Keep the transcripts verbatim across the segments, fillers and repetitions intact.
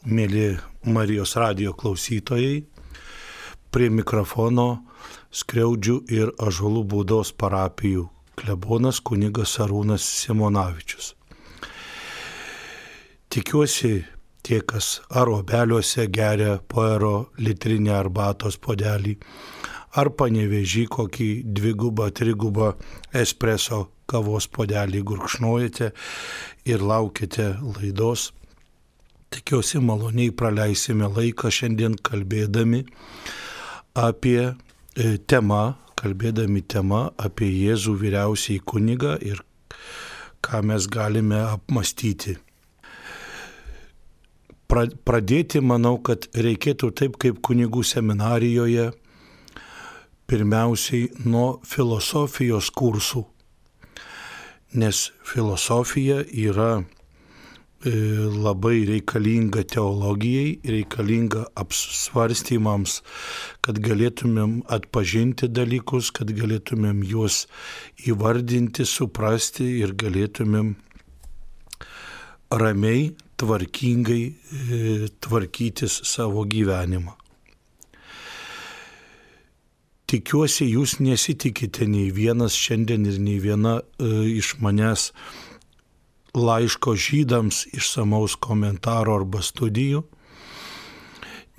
Mėly Marijos radijo klausytojai, prie mikrofono Skriaudžių ir Ąžuolų Būdos parapijų klebonas kunigas Arūnas Simonavičius. Tikiuosi, tie, kas ar obeliuose geria poero litrinę arbatos puodelį, ar Panevėžy kokį dvigubą, trigubą espreso kavos puodelį gurkšnojate ir laukite laidos. Tikiuosi, maloniai praleisime laiką šiandien kalbėdami apie e, temą, kalbėdami temą apie Jėzų vyriausiąjį kunigą ir ką mes galime apmastyti. Pra, pradėti, manau, kad reikėtų taip kaip kunigų seminarijoje, pirmiausiai nuo filosofijos kursų, nes filosofija yra labai reikalinga teologijai, reikalinga apsvarstymams, kad galėtumėm atpažinti dalykus, kad galėtumėm juos įvardinti, suprasti ir galėtumėm ramiai, tvarkingai e, tvarkytis savo gyvenimą. Tikiuosi, jūs nesitikite nei vienas šiandien ir nei viena e, iš manęs laiško žydams išsamaus komentaro arba studijų,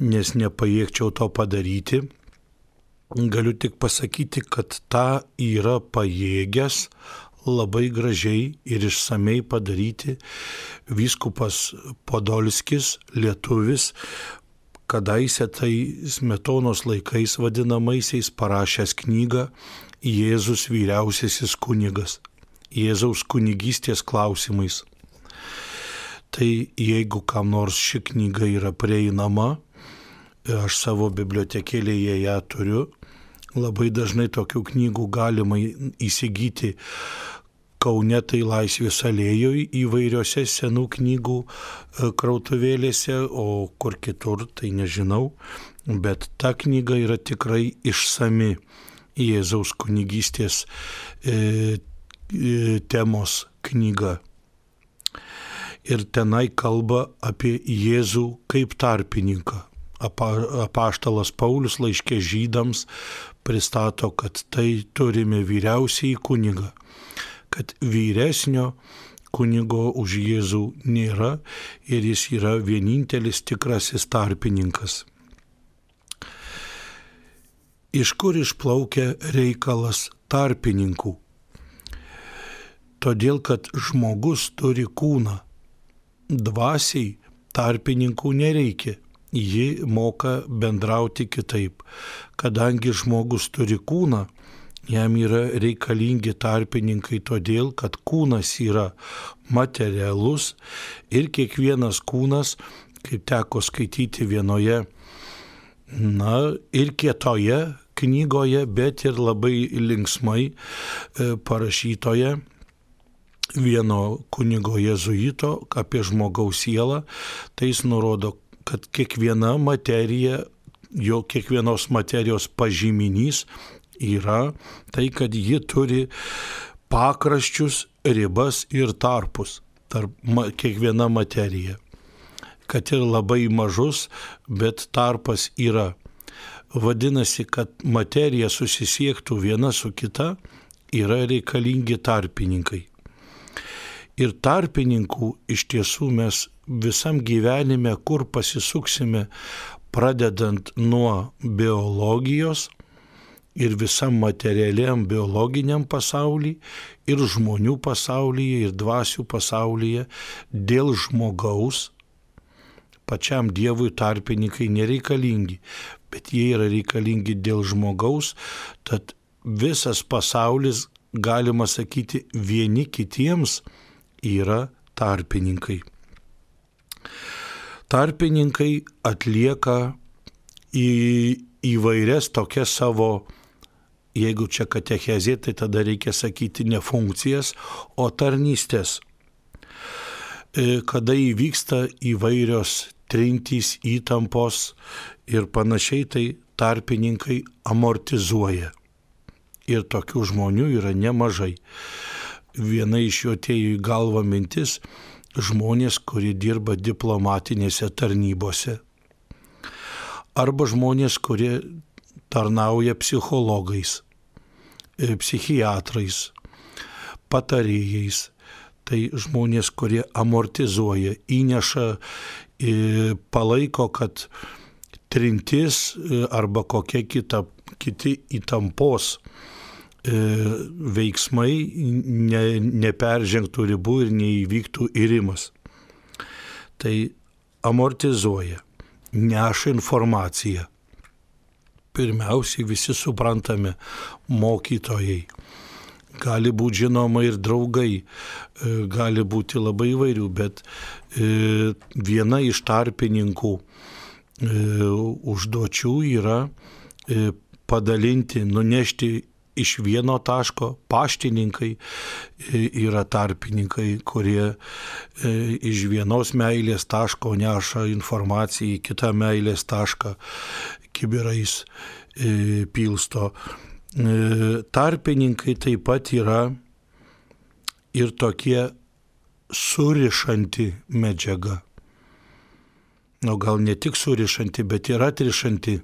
nes nepajėgčiau to padaryti. Galiu tik pasakyti, kad tą yra pajėgęs labai gražiai ir išsamei padaryti vyskupas Podolskis, lietuvis, kadaise tai Smetonos laikais vadinamaisiais parašęs knygą Jėzus vyriausiasis kunigas. Jėzaus kunigystės klausimais. Tai jeigu kam nors ši knyga yra prieinama, aš savo bibliotekėlėje ją turiu, labai dažnai tokių knygų galima įsigyti Kaune, tai Laisvės alėjoje įvairiose senų knygų krautuvėlėse, o kur kitur, tai nežinau, bet ta knyga yra tikrai išsami Jėzaus kunigystės e, temos knyga. Ir tenai kalba apie Jėzų kaip tarpininką. Apaštalas Paulius laiške žydams pristato, kad tai turime vyriausiąjį kunigą, kad vyresnio kunigo už Jėzų nėra ir jis yra vienintelis tikrasis tarpininkas. Iš kur išplaukia reikalas tarpininkų? Todėl, kad žmogus turi kūną. Dvasiai tarpininkų nereikia. Ji moka bendrauti kitaip. Kadangi žmogus turi kūną, jam yra reikalingi tarpininkai todėl, kad kūnas yra materialus ir kiekvienas kūnas, kaip teko skaityti vienoje, na, ir kietoje knygoje, bet ir labai linksmai e, parašytoje, vieno kunigo jėzuito apie žmogaus sielą, tai jis nurodo, kad kiekviena materija, jo kiekvienos materijos pažyminys yra tai, kad ji turi pakraščius, ribas ir tarpus, tarp ma, kiekviena materija. Kad ir labai mažus, bet tarpas yra. Vadinasi, kad materija susisiektų viena su kita, yra reikalingi tarpininkai. Ir tarpininkų iš tiesų mes visam gyvenime, kur pasisuksime, pradedant nuo biologijos ir visam materialiam biologiniam pasaulyje, ir žmonių pasaulyje, ir dvasių pasaulyje, dėl žmogaus, pačiam Dievui tarpininkai nereikalingi, bet jie yra reikalingi dėl žmogaus, tad visas pasaulis, galima sakyti, vieni kitiems yra tarpininkai. Tarpininkai atlieka į įvairias tokias savo, jeigu čia katechezė, tai tada reikia sakyti ne funkcijas, o tarnystės. Kada įvyksta įvairios trintys, įtampos ir panašiai, tai tarpininkai amortizuoja. Ir tokių žmonių yra nemažai. Viena iš jų atėjo į galvą mintis, žmonės, kurie dirba diplomatinėse tarnybose, arba žmonės, kurie tarnauja psichologais, psichiatrais, patarėjais. Tai žmonės, kurie amortizuoja, įneša, palaiko, kad trintis arba kokie kita, kiti įtampos veiksmai ne, neperžengtų ribų ir neįvyktų irimas. Tai amortizuoja, neša informaciją. Pirmiausiai visi suprantame mokytojai. Gali būti žinoma ir draugai, gali būti labai įvairių, bet viena iš tarpininkų užduočių yra padalinti, nunešti iš vieno taško. Paštininkai yra tarpininkai, kurie iš vienos meilės taško neša informaciją į kitą meilės tašką, kibirais pilsto. Tarpininkai taip pat yra ir tokie surišanti medžiaga. O gal ne tik surišanti, bet ir atrišanti.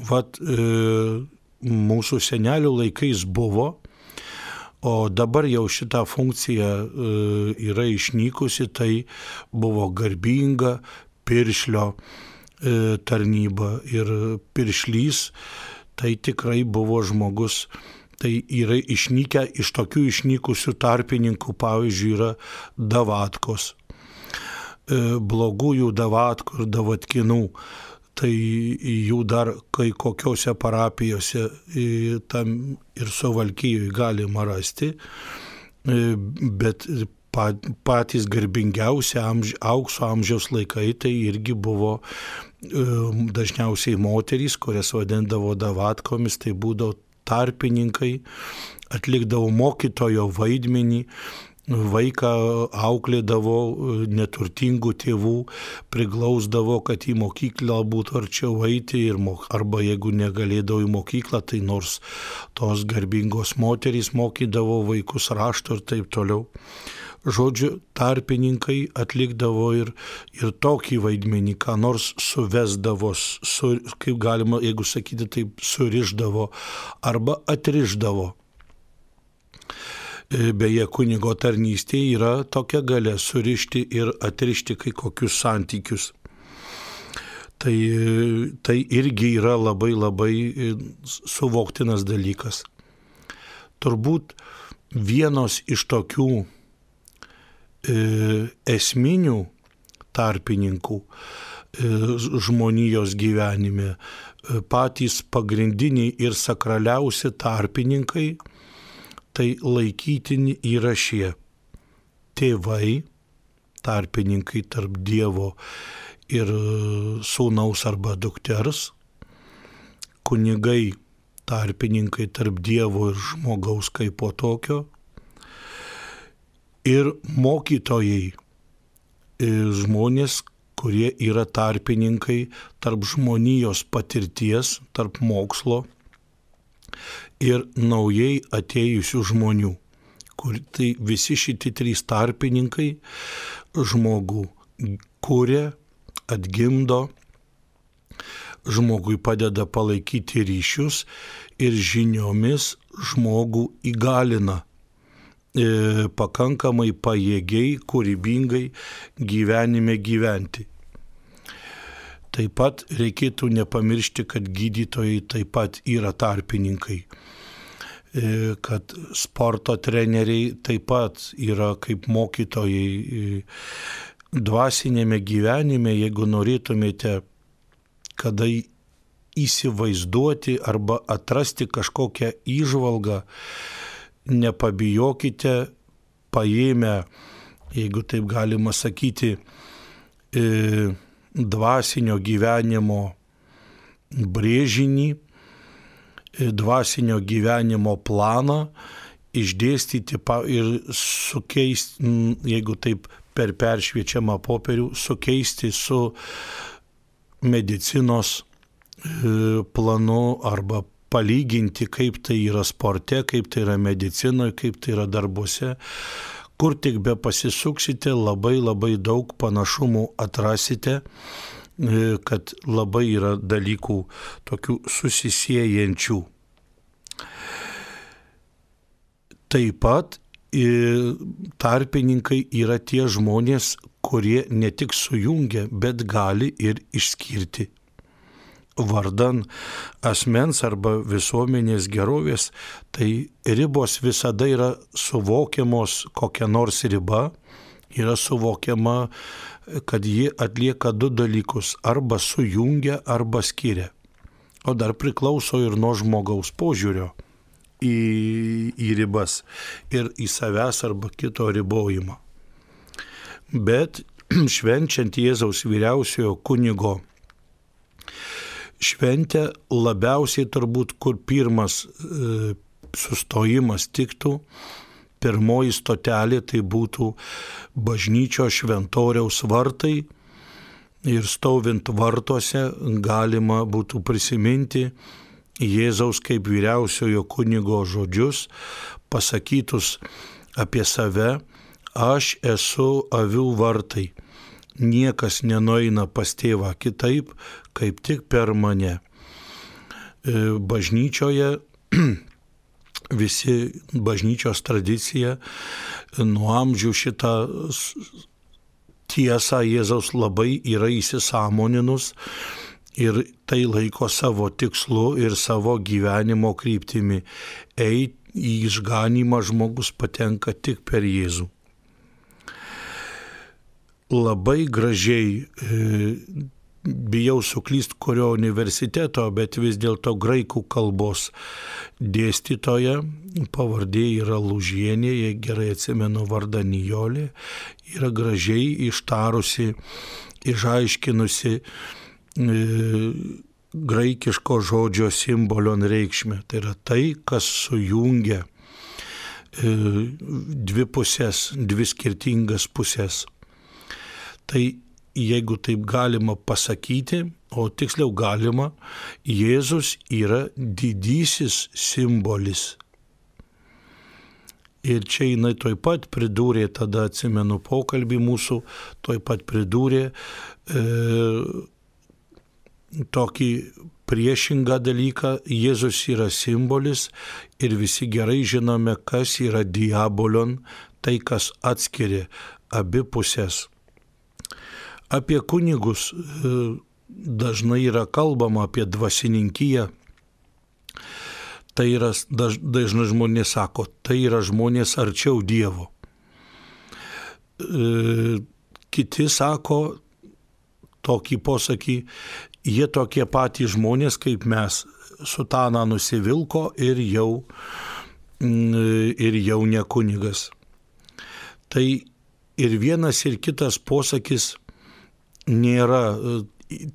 Vat e, mūsų senelių laikais buvo, o dabar jau šita funkcija e, yra išnykusi, tai buvo garbinga piršlio e, tarnyba ir piršlys. Tai tikrai buvo žmogus, tai yra išnykę iš tokių išnykusių tarpininkų, pavyzdžiui, yra davatkos, blogųjų davatkų ir davatkinų, tai jų dar kai kokiose parapijose tam ir Suvalkijoje galima rasti, bet patys garbingiausi amž, aukso amžiaus laikai tai irgi buvo dažniausiai moterys, kurias vadindavo davatkomis, tai būdavo tarpininkai, atlikdavo mokytojo vaidmenį, vaiką auklėdavo neturtingų tėvų, priglausdavo, kad į mokyklą būtų arčiau eiti, ir, arba jeigu negalėdavo į mokyklą, tai nors tos garbingos moterys mokydavo vaikus rašto ir taip toliau. Žodžiu, tarpininkai atlikdavo ir, ir tokį vaidmenį, ką nors suvesdavo, su, kaip galima, jeigu sakyti, taip surišdavo arba atrišdavo. Beje, kunigo tarnystėje yra tokia galia surišti ir atrišti kai kokius santykius. Tai, tai irgi yra labai labai suvoktinas dalykas. Turbūt vienos iš tokių esminių tarpininkų žmonijos gyvenime, patys pagrindiniai ir sakraliausi tarpininkai, tai laikytini yra šie tėvai, tarpininkai tarp Dievo ir sūnaus arba dukters, kunigai, tarpininkai tarp Dievo ir žmogaus kaip po tokio, ir mokytojai, žmonės, kurie yra tarpininkai tarp žmonijos patirties, tarp mokslo ir naujai atėjusių žmonių. Kur tai visi šitie trys tarpininkai žmogų kuria, atgimdo, žmogui padeda palaikyti ryšius ir žiniomis žmogų įgalina pakankamai pajėgiai, kūrybingai gyvenime gyventi. Taip pat reikėtų nepamiršti, kad gydytojai taip pat yra tarpininkai, kad sporto treneriai taip pat yra kaip mokytojai dvasinėme gyvenime, jeigu norėtumėte kada įsivaizduoti arba atrasti kažkokią įžvalgą, nepabijokite, paėmę, jeigu taip galima sakyti, dvasinio gyvenimo brėžinį, dvasinio gyvenimo planą, išdėstyti ir sukeisti, jeigu taip per peršviečiamą popierių, sukeisti su medicinos planu arba palyginti, kaip tai yra sporte, kaip tai yra medicinoje, kaip tai yra darbuose, kur tik be pasisuksite, labai labai daug panašumų atrasite, kad labai yra dalykų tokių susisiejančių. Taip pat tarpininkai yra tie žmonės, kurie ne tik sujungia, bet gali ir išskirti. Vardan asmens arba visuomenės gerovės, tai ribos visada yra suvokiamos, kokia nors riba yra suvokiama, kad ji atlieka du dalykus, arba sujungia, arba skiria. O dar priklauso ir nuo žmogaus požiūrio į, į ribas ir į savęs arba kito ribojimą. Bet švenčiant Jėzaus vyriausiojo kunigo šventę, labiausiai turbūt, kur pirmas e, sustojimas tiktų, pirmoji stotelė tai būtų bažnyčios šventoriaus vartai ir stovint vartuose galima būtų prisiminti Jėzaus kaip vyriausiojo kunigo žodžius, pasakytus apie save: aš esu avių vartai, niekas nenueina pas tėvą kitaip, kaip tik per mane. Bažnyčioje visi bažnyčios tradicija nuo amžių šitą tiesą Jėzaus labai yra įsisąmoninus ir tai laiko savo tikslu ir savo gyvenimo kryptimi. Eit į išganymą žmogus patenka tik per Jėzų. Labai gražiai, bijau suklyst kurio universiteto, bet vis dėlto graikų kalbos dėstytoja, pavardė yra Lūžienė, jei gerai atsimenu vardą Nijolė, yra gražiai ištarusi, išaiškinusi e, graikiško žodžio simbolion reikšmę. Tai yra tai, kas sujungia e, dvi pusės, dvi skirtingas pusės. Tai jeigu taip galima pasakyti, o tiksliau galima, Jėzus yra didysis simbolis. Ir čia jinai toj pat pridūrė, tada atsimenu pokalbį mūsų, toj pat pridūrė e, tokį priešingą dalyką: Jėzus yra simbolis ir visi gerai žinome, kas yra diabolion, tai kas atskiria abi pusės. Apie kunigus dažnai yra kalbama, apie dvasininkiją. Tai yra, daž, dažnai žmonės sako, tai yra žmonės arčiau Dievo. E, kiti sako tokį posakį: jie tokie patys žmonės kaip mes, sutaną nusivilko ir jau, ir jau ne kunigas. Tai ir vienas ir kitas posakis nėra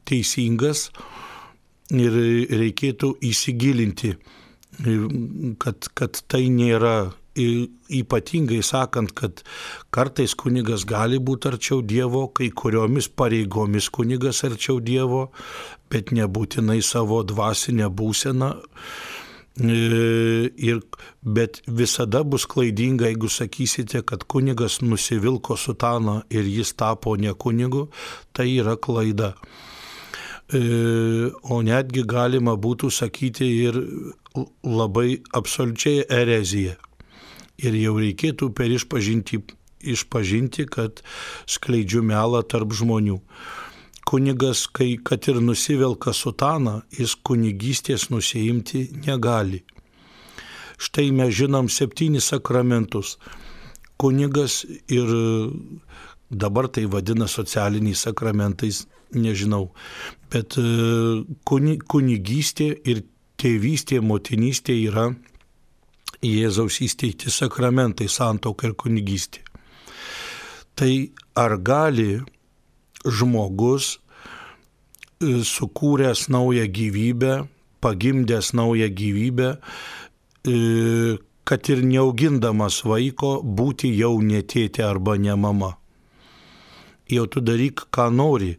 teisingas ir reikėtų įsigilinti, kad, kad tai nėra, ypatingai sakant, kad kartais kunigas gali būti arčiau Dievo, kai kuriomis pareigomis kunigas arčiau Dievo, bet nebūtinai savo dvasinę būseną. Ir, bet visada bus klaidinga, jeigu sakysite, kad kunigas nusivilko sutaną ir jis tapo ne kunigu, tai yra klaida. O netgi galima būtų sakyti ir labai absoliučiai erezija. Ir jau reikėtų per išpažinti, išpažinti, kad skleidžiu melą tarp žmonių. Kunigas, kai kad ir nusivelka sutaną, jis kunigystės nusiimti negali. Štai mes žinom septynis sakramentus. Kunigas ir dabar tai vadina socialiniais sakramentais, nežinau, bet kunigystė ir tėvystė, motinystė yra Jėzaus įsteigti sakramentai, santuoka ir kunigystė. Tai ar gali žmogus, sukūręs naują gyvybę, pagimdęs naują gyvybę, kad ir neaugindamas vaiko, būti jau ne tėtė arba ne mama? Jau tu daryk, ką nori.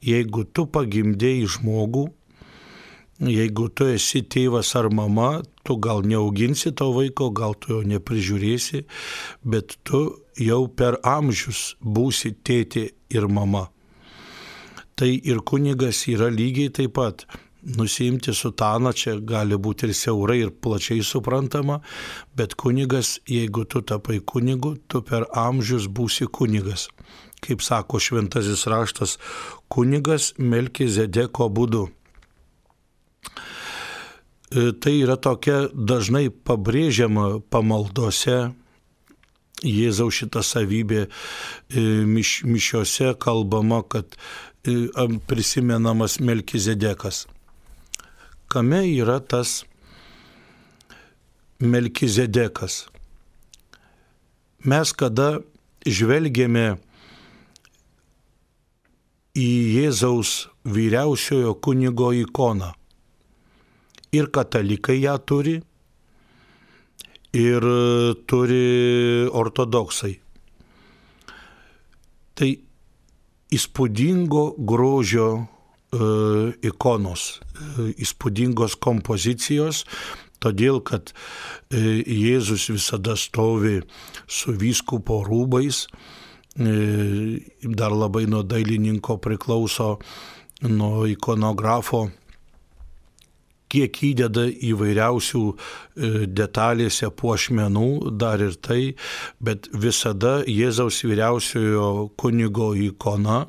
Jeigu tu pagimdėjai žmogų, Jeigu tu esi tėvas ar mama, tu gal neauginsi to vaiko, gal tu jo neprižiūrėsi, bet tu jau per amžius būsi tėtė ir mama. Tai ir kunigas yra lygiai taip pat. Nusiimti sutaną čia gali būti ir siaurai, ir plačiai suprantama, bet kunigas, jeigu tu tapai kunigu, tu per amžius būsi kunigas. Kaip sako šventasis raštas, kunigas Melkizedeko būdu. Tai yra tokia dažnai pabrėžiama pamaldose, Jėzaus šita savybė, miš, mišiose kalbama, kad prisimenamas Melkizedekas. Kame yra tas Melkizedekas? Mes kada žvelgėme į Jėzaus vyriausiojo kunigo ikoną, ir katalikai ją turi, ir turi ortodoksai. Tai įspūdingo grožio e, ikonos, e, įspūdingos kompozicijos, todėl kad e, Jėzus visada stovi su vyskupo rūbais, e, dar labai nuo dailininko priklauso, nuo ikonografo, kiek įdeda įvairiausių detalėse puošmenų, dar ir tai, bet visada Jėzaus vyriausiojo kunigo ikona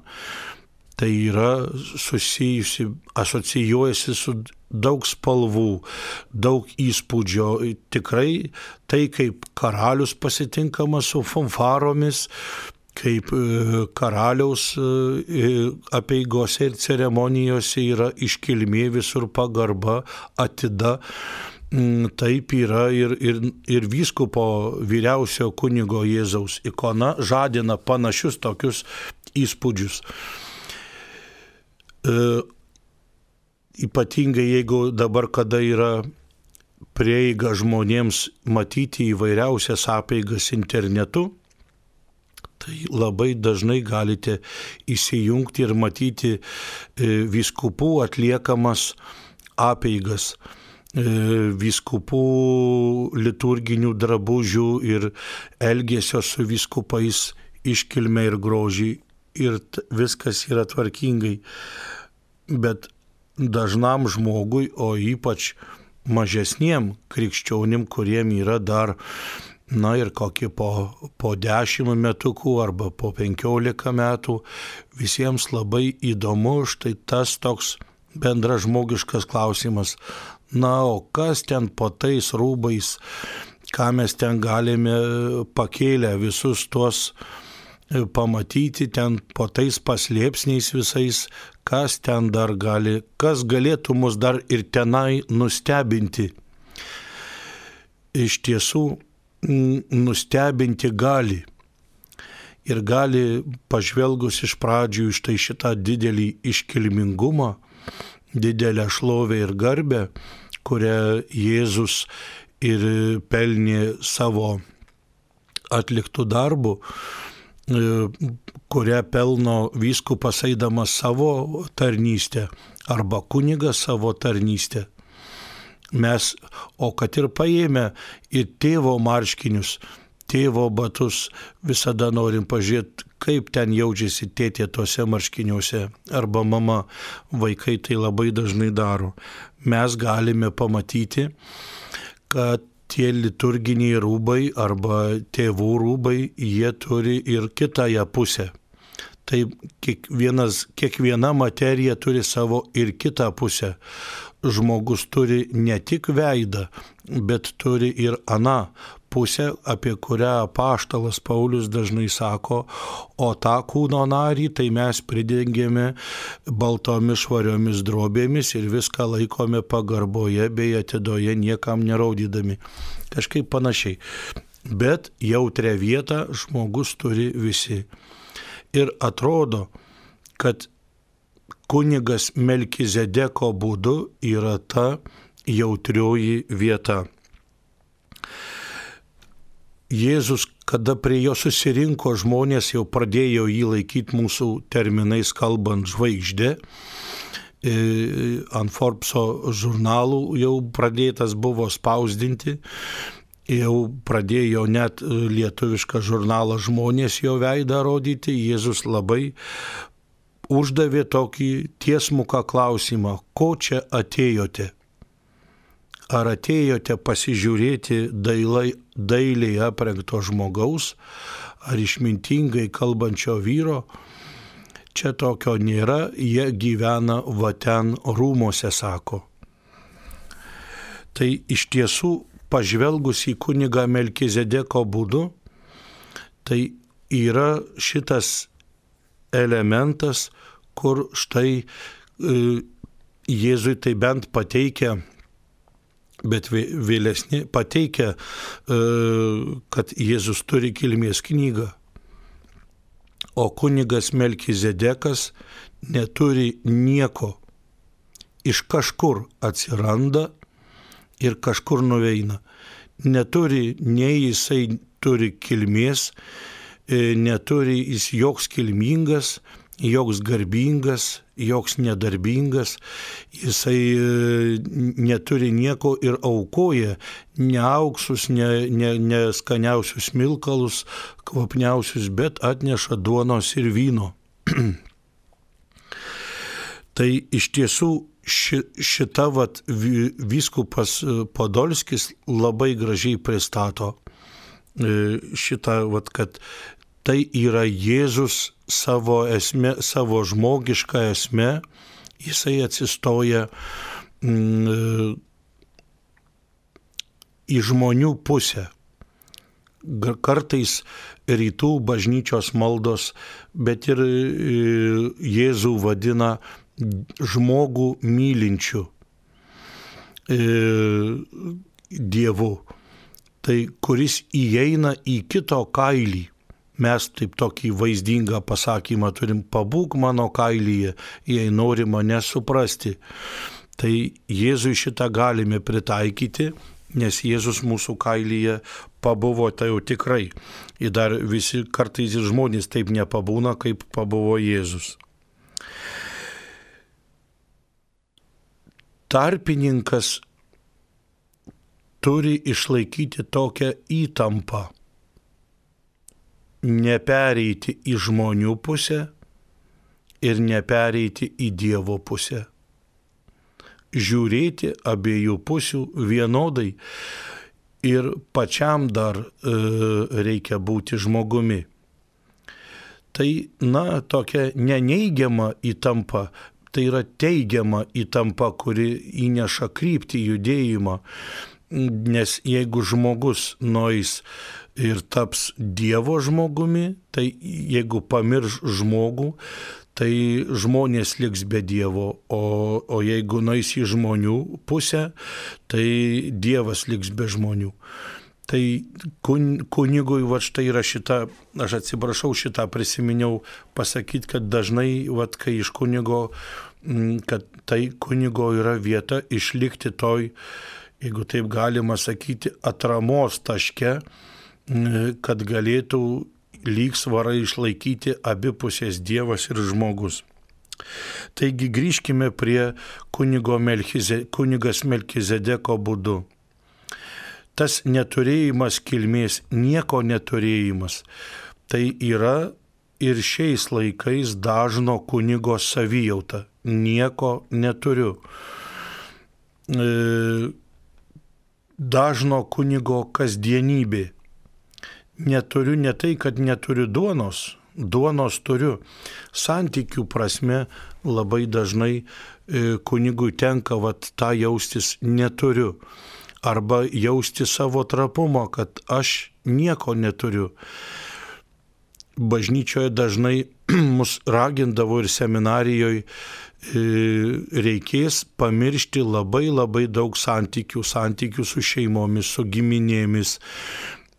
tai yra susijusi, asocijuojasi su daug spalvų, daug įspūdžio. Tikrai tai, kaip karalius pasitinkamas su fanfaromis, kaip karaliaus apeigose ir ceremonijose yra iškilmė, visur pagarba, atida. Taip yra ir, ir, ir vyskupo vyriausio kunigo Jėzaus ikona žadina panašius tokius įspūdžius. E, ypatingai jeigu dabar, kada yra prieiga žmonėms matyti įvairiausias apeigas internetu, tai labai dažnai galite įsijungti ir matyti vyskupų atliekamas apeigas, vyskupų liturginių drabužių ir elgesio su vyskupais iškilmę ir grožį, ir viskas yra tvarkingai. Bet dažnam žmogui, o ypač mažesniem krikščionim, kuriem yra dar na ir kokį po, po dešimt metukų arba po penkiolika metų, visiems labai įdomu štai tas toks bendražmogiškas klausimas. Na, o kas ten po tais rūbais, ką mes ten galime pakėlę visus tuos pamatyti, ten po tais paslėpsniais visais, kas ten dar gali, kas galėtų mus dar ir tenai nustebinti. Iš tiesų, nustebinti gali. Ir gali, pažvelgus iš pradžių iš tai šitą didelį iškilmingumą, didelę šlovę ir garbę, kurią Jėzus ir pelnė savo atliktų darbų, kurią pelno vyskupas eidamas savo tarnystę arba kunigas savo tarnystę. Mes, o kad ir paėmę ir tėvo marškinius, tėvo batus, visada norim pažiūrėti, kaip ten jaučiasi tėtė tose marškiniuose, arba mama, vaikai tai labai dažnai daro. Mes galime pamatyti, kad tie liturginiai rūbai arba tėvų rūbai, jie turi ir kitąją pusę. Tai kiekvienas, kiekviena materija turi savo ir kitą pusę. Žmogus turi ne tik veidą, bet turi ir aną pusę, apie kurią apaštalas Paulius dažnai sako, o tą kūno narį tai mes pridengėme baltomis švariomis drobėmis ir viską laikome pagarboje bei atidoje, niekam neraudydami. Kažkaip panašiai. Bet jautrią vietą žmogus turi visi. Ir atrodo, kad kunigas Melkizedeko būdu yra ta jautrioji vieta. Jėzus, kada prie jo susirinko žmonės, jau pradėjo jį laikyti mūsų terminais kalbant žvaigždė, ant Forbeso žurnalų jau pradėtas buvo spausdinti, jau pradėjo net lietuvišką žurnalą Žmonės jo veidą rodyti. Jėzus labai uždavė tokį tiesmuką klausimą: ko čia atėjote? Ar atėjote pasižiūrėti dailai, dailiai aprengto žmogaus, ar išmintingai kalbančio vyro? Čia tokio nėra, jie gyvena va ten rūmose, sako. Tai iš tiesų, pažvelgus į kunigą Melkizedeko būdu, tai yra šitas elementas, kur štai Jėzui tai bent pateikia, bet vėlesni pateikia, kad Jėzus turi kilmės knygą. O kunigas Melkizedekas neturi nieko. Iš kažkur atsiranda ir kažkur nuveina. Neturi, nei jisai turi kilmės, neturi jis joks kilmingas, joks garbingas, joks nedarbingas, jisai neturi nieko ir aukoja ne auksus, ne, ne, ne skaniausius smilkalus, kvapniausius, bet atneša duonos ir vyno. Tai iš tiesų ši, šita vat, vyskupas Podolskis labai gražiai pristato šitą, vat, kad tai yra Jėzus savo esme, savo žmogišką esmę, jisai atsistoja mm, į žmonių pusę. Kartais rytų bažnyčios maldos, bet ir Jėzų vadina žmogų mylinčiu e, Dievu, tai kuris įeina į kito kailį. Mes taip tokį vaizdingą pasakymą turim: pabūk mano kailyje, jei nori mane suprasti. Tai Jėzui šitą galime pritaikyti, nes Jėzus mūsų kailyje pabuvo, tai jau tikrai. Ir dar visi kartais ir žmonės taip nepabūna, kaip pabuvo Jėzus. Tarpininkas turi išlaikyti tokią įtampą. Nepereiti į žmonių pusę ir nepereiti į Dievo pusę. Žiūrėti abiejų pusių vienodai ir pačiam dar e, reikia būti žmogumi. Tai, na, tokia neneigiama įtampa, tai yra teigiama įtampa, kuri įneša kryptį, judėjimą, nes jeigu žmogus nueis ir taps Dievo žmogumi, tai jeigu pamirš žmogų, tai žmonės liks be Dievo, o, o jeigu nueis į žmonių pusę, tai Dievas liks be žmonių. Tai kun, kunigui, va štai yra šita, aš atsiprašau, šitą prisiminiau pasakyti, kad dažnai, va, kai iš kunigo, kad tai kunigo yra vieta išlikti toj, jeigu taip galima sakyti, atramos taške, kad galėtų lygsvarą išlaikyti abipusės Dievas ir žmogus. Taigi grįžkime prie kunigo Melchize, kunigas Melkizedeko būdu. Tas neturėjimas kilmės, nieko neturėjimas, tai yra ir šiais laikais dažno kunigo savijauta. Nieko neturiu. Dažno kunigo kasdienybė. Neturiu ne tai, kad neturiu duonos, duonos turiu. Santykių prasme labai dažnai kunigui tenka vat, tą jaustis neturiu. Arba jausti savo trapumą, kad aš nieko neturiu. Bažnyčioje dažnai mus ragindavo ir seminarijoje reikės pamiršti labai labai daug santykių, santykių su šeimomis, su giminėmis,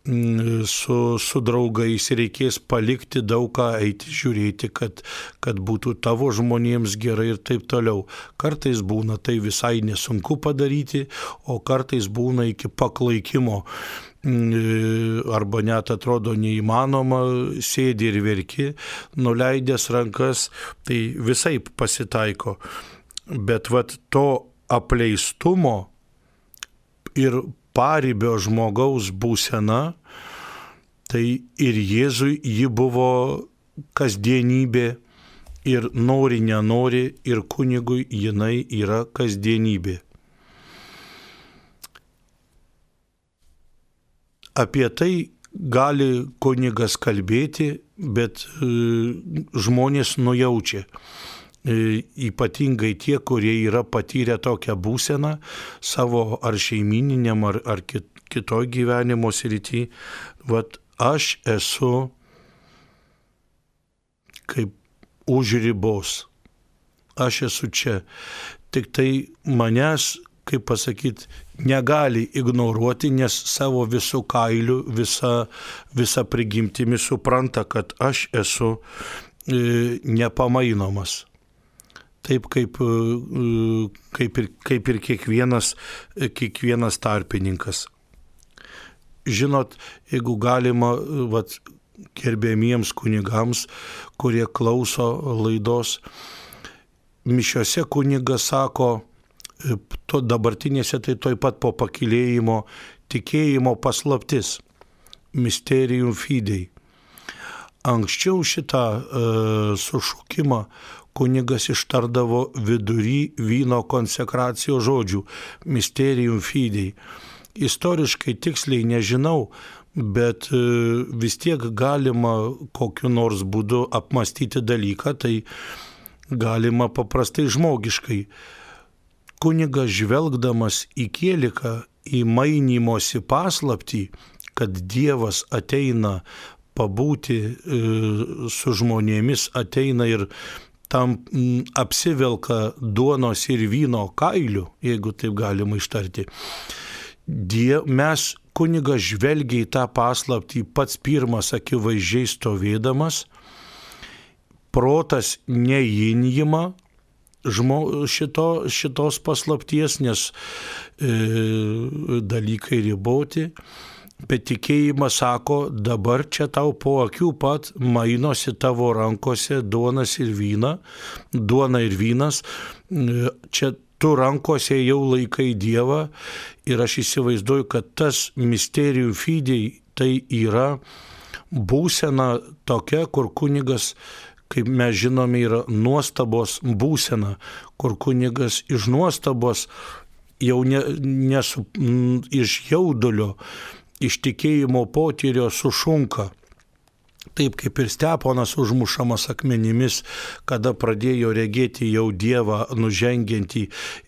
su, su draugais, reikės palikti daug ką, eiti žiūrėti, kad, kad būtų tavo žmonėms gerai ir taip toliau. Kartais būna tai visai nesunku padaryti, o kartais būna iki paklaikimo, arba net atrodo neįmanoma, sėdi ir verki, nuleidęs rankas, tai visaip pasitaiko. Bet vat to apleistumo ir paribio žmogaus būsena, tai ir Jėzui ji buvo kasdienybė, ir nori, nenori, ir kunigui jinai yra kasdienybė. Apie tai gali kunigas kalbėti, bet e, žmonės nujaučia. E, ypatingai tie, kurie yra patyrę tokią būseną savo ar šeimininiam, ar, ar kit, kitoj gyvenimo srity. Vat aš esu kaip už ribos. Aš esu čia. Tik tai manęs, kaip pasakyti, negali ignoruoti, nes savo visų kailių, visa, visa prigimtimi supranta, kad aš esu e, nepamainomas. Taip kaip, e, kaip, ir, kaip ir kiekvienas, kiekvienas tarpininkas. Žinot, jeigu galima, vat, gerbėmiems kunigams, kurie klauso laidos, mišiose kunigas sako, to dabartinėse tai toj pat po pakilėjimo tikėjimo paslaptis, mysterium fidei. Anksčiau šitą e, sušukimą kunigas ištardavo vidury vyno konsekracijos žodžių, mysterium fidei. Istoriškai tiksliai nežinau, bet e, vis tiek galima kokiu nors būdu apmastyti dalyką, tai galima paprastai žmogiškai. Kunigas žvelgdamas į kieliką, į mainymosi paslaptį, kad Dievas ateina pabūti e, su žmonėmis, ateina ir tam m, apsivelka duonos ir vyno kailių, jeigu taip galima ištarti. Die, mes kunigas žvelgia į tą paslaptį pats pirmas akivaizdžiai stovėdamas, protas neįjima Žmo, šito, šitos paslapties, nes e, dalykai riboti, bet tikėjimas sako, dabar čia tau po akių pat mainosi tavo rankose duonas ir vyna, duona ir vynas, e, čia tu rankose jau laikai Dievą ir aš įsivaizduoju, kad tas mysterium fidei tai yra būsena tokia, kur kunigas, kaip mes žinome, yra nuostabos būsena, kur kunigas iš nuostabos jau ne, nesu, m, iš jaudulio, iš tikėjimo potyrio sušunka. Taip kaip ir Steponas užmušamas akmenimis, kada pradėjo regėti jau Dievą nužengiantį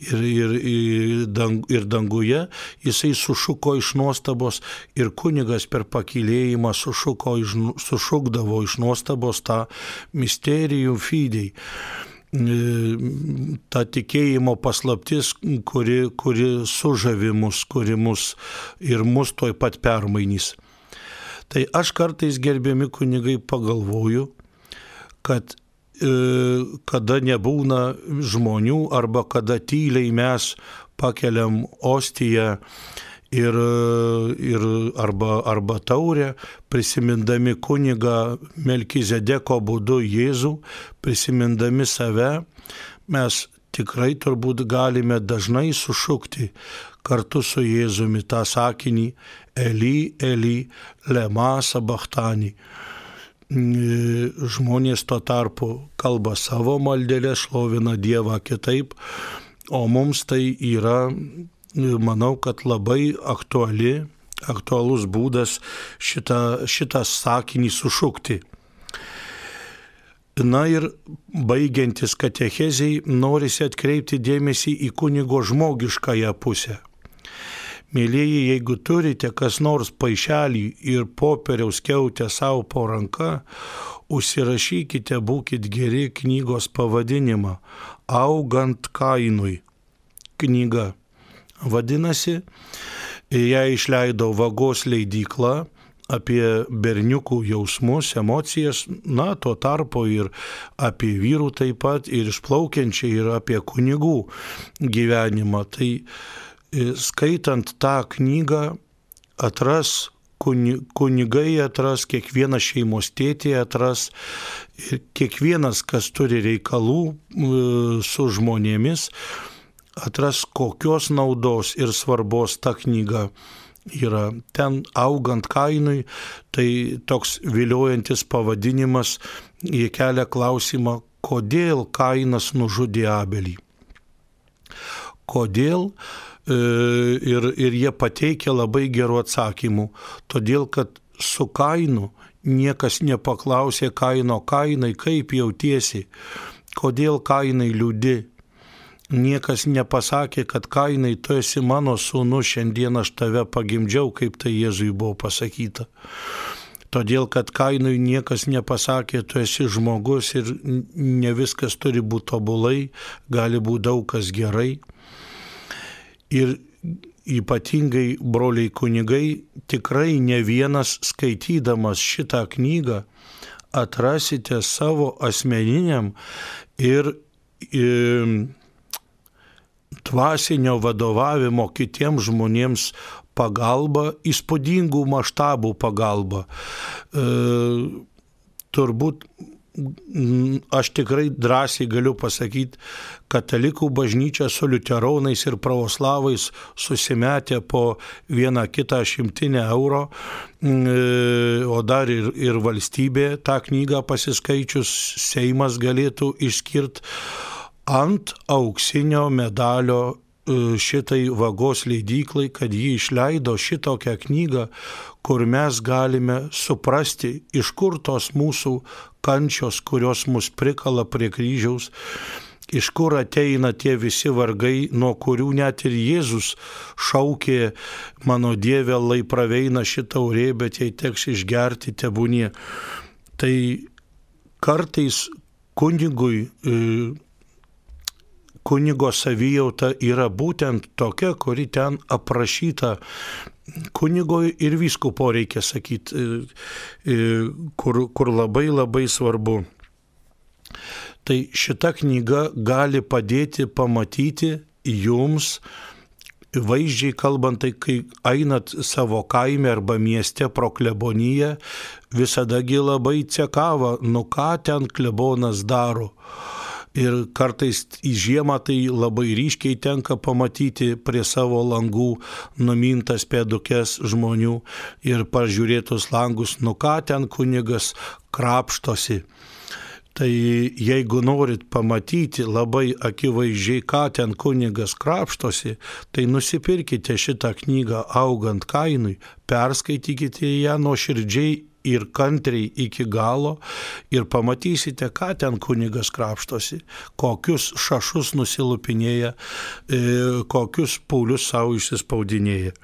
ir, ir, ir, dang, ir danguje, jisai sušuko iš nuostabos ir kunigas per pakilėjimą sušuko, iš, sušukdavo iš nuostabos tą mysterium fidei. Ta tikėjimo paslaptis, kuri, kuri sužavi mus, kuri mus ir mus toj pat permainys. Tai aš kartais, gerbiami kunigai, pagalvoju, kad e, kada nebūna žmonių arba kada tyliai mes pakeliam ostiją ir, ir arba, arba taurę, prisimindami kunigą Melkizedeko būdu Jėzų, prisimindami save, mes tikrai turbūt galime dažnai sušukti kartu su Jėzumi tą sakinį Eli, Eli, lema sabachthani. Žmonės tuo tarpu kalba savo maldelę, šlovina Dievą kitaip, o mums tai yra, manau, kad labai aktuali, aktualus būdas šitą, šitą sakinį sušukti. Na ir baigiantis katechezei, norisi atkreipti dėmesį į kunigo žmogiškąją pusę. Mėlieji, jeigu turite kas nors paišelį ir popieriaus skiautę savo po ranka, užsirašykite, būkit geri, knygos pavadinimą Augant Kainui. Knyga vadinasi, ją išleido Vagos leidykla apie berniukų jausmus, emocijas, na, tuo tarpu ir apie vyrų taip pat, ir išplaukiančiai ir apie kunigų gyvenimą. Tai skaitant tą knygą atras kunigai atras, kiekvienas šeimos tėtė atras ir kiekvienas, kas turi reikalų su žmonėmis, atras, kokios naudos ir svarbos ta knyga yra. Ten augant Kainui, tai toks viliojantis pavadinimas, jie kelia klausimą, kodėl Kainas nužudė Abelį. Kodėl? Ir, ir jie pateikia labai gerų atsakymų. Todėl, kad su Kainu niekas nepaklausė Kaino: Kainai, kaip jautiesi? Kodėl Kainai liūdi? Niekas nepasakė, kad Kainai, tu esi mano sūnus, šiandien aš tave pagimdžiau, kaip tai Jėzui buvo pasakyta. Todėl, kad Kainui niekas nepasakė, tu esi žmogus ir ne viskas turi būti tobulai, gali būti daug kas gerai. Ir ypatingai, broliai kunigai, tikrai ne vienas skaitydamas šitą knygą atrasite savo asmeniniam ir, ir dvasinio vadovavimo kitiems žmonėms pagalba, įspūdingų maštabų pagalba. E, turbūt aš tikrai drąsiai galiu pasakyti, katalikų bažnyčia su liuteronais ir pravoslavais susimetė po vieną kitą šimtinę euro, o dar ir, ir valstybė tą knygą pasiskaičius, Seimas galėtų išskirti ant auksinio medalio šitai Vagos leidyklai, kad ji išleido šitokią knygą, kur mes galime suprasti, iš kur tos mūsų kančios, kurios mus prikala prie kryžiaus, iš kur ateina tie visi vargai, nuo kurių net ir Jėzus šaukė: mano Dieve, lai praveina šitą taurė, bet jei teks išgerti, tebūnie. Tai kartais kunigui kunigo savijauta yra būtent tokia, kuri ten aprašyta. Kunigo ir vyskupo, reikia sakyti, kur, kur labai labai svarbu. Tai šita knyga gali padėti pamatyti jums, vaizdžiai kalbant, tai kai einat savo kaime arba mieste pro kleboniją, visadagi labai cekava, nu ką ten klebonas daro. Ir kartais į žiemą tai labai ryškiai tenka pamatyti prie savo langų numintas pėdukes žmonių ir pažiūrėtus langus, nu ką ten kunigas krapštosi. Tai jeigu norit pamatyti labai akivaizdžiai, ką ten kunigas krapštosi, tai nusipirkite šitą knygą Augant Kainui, perskaitykite ją nuoširdžiai ir kantriai iki galo ir pamatysite, ką ten kunigas krapštosi, kokius šašus nusilupinėja, kokius paulius savo išsispaudinėja.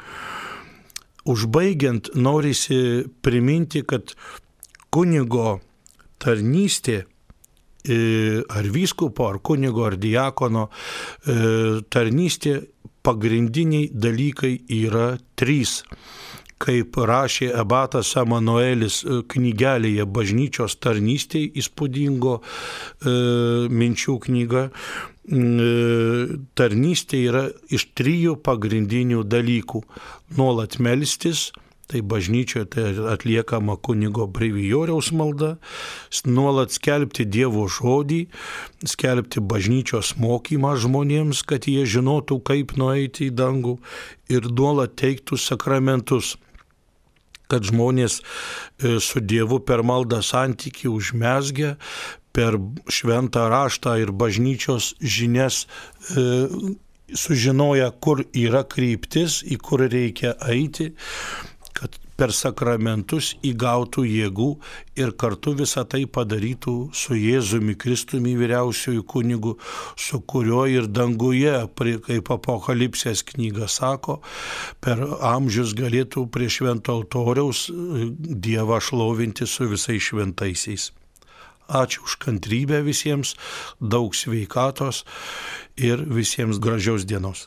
Užbaigiant, norisi priminti, kad kunigo tarnystė ar vyskupo, ar kunigo, ar diakono tarnystė, pagrindiniai dalykai yra trys. Kaip rašė abatas Emanuelis knygelėje Bažnyčios tarnystė, įspūdingo e, minčių knyga, e, tarnystė yra iš trijų pagrindinių dalykų. Nuolat melstis, tai bažnyčioje tai atliekama kunigo brevijoriaus malda, nuolat skelbti Dievo žodį, skelbti bažnyčios mokymą žmonėms, kad jie žinotų, kaip nueiti į dangų, ir nuolat teiktų sakramentus, kad žmonės su Dievu per maldą santykį užmezgę, per šventą raštą ir bažnyčios žinias sužinoja, kur yra kryptis, į kur reikia eiti, kad per sakramentus įgautų jėgų ir kartu visą tai padarytų su Jėzumi Kristumi vyriausiuoju kunigu, su kuriuo ir danguje, kaip Apokalipsės knyga sako, per amžius galėtų prie švento altoriaus Dievą šlovinti su visais šventaisiais. Ačiū už kantrybę visiems, daug sveikatos ir visiems gražios dienos.